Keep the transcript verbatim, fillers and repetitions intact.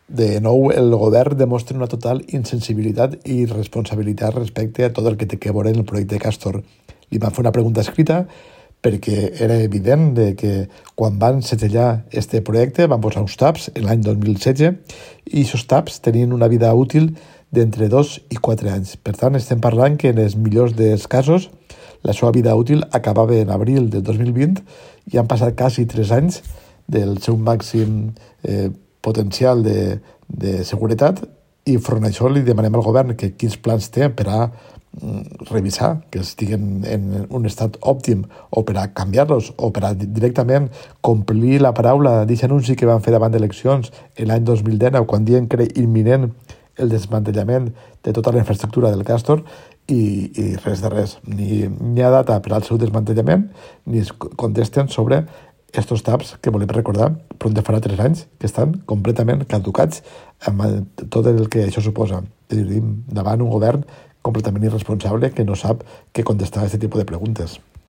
de nou el govern demostra una total insensibilitat i irresponsabilitat respecte a tot el que té que veure en el projecte Castor. Li van fer una pregunta escrita perquè era evident de que quan van segellar este projecte van posar uns taps en l'any dos mil setze i aquests taps tenien una vida útil d'entre dos i quatre anys. Per tant, estem parlant que en els millors dels casos la seva vida útil acabava en abril del dos mil vint i han passat quasi tres anys del seu màxim eh, potencial de, de seguretat i front a això li demanem al govern que quins plans té per a mm, revisar que estiguen en un estat òptim o per a canviar-los o per a directament complir la paraula d'aquest anunci que van fer davant d'eleccions l'any dos mil dinou quan diuen que era imminent el desmantellament de tota la infraestructura del Castor i, i res de res. Ni hi ha data per al seu desmantellament ni es contesten sobre estos taps que volem recordar però de farà tres anys que estan completament caducats amb tot el que això suposa. És a dir, davant un govern completament irresponsable que no sap què contestar a aquest tipus de preguntes.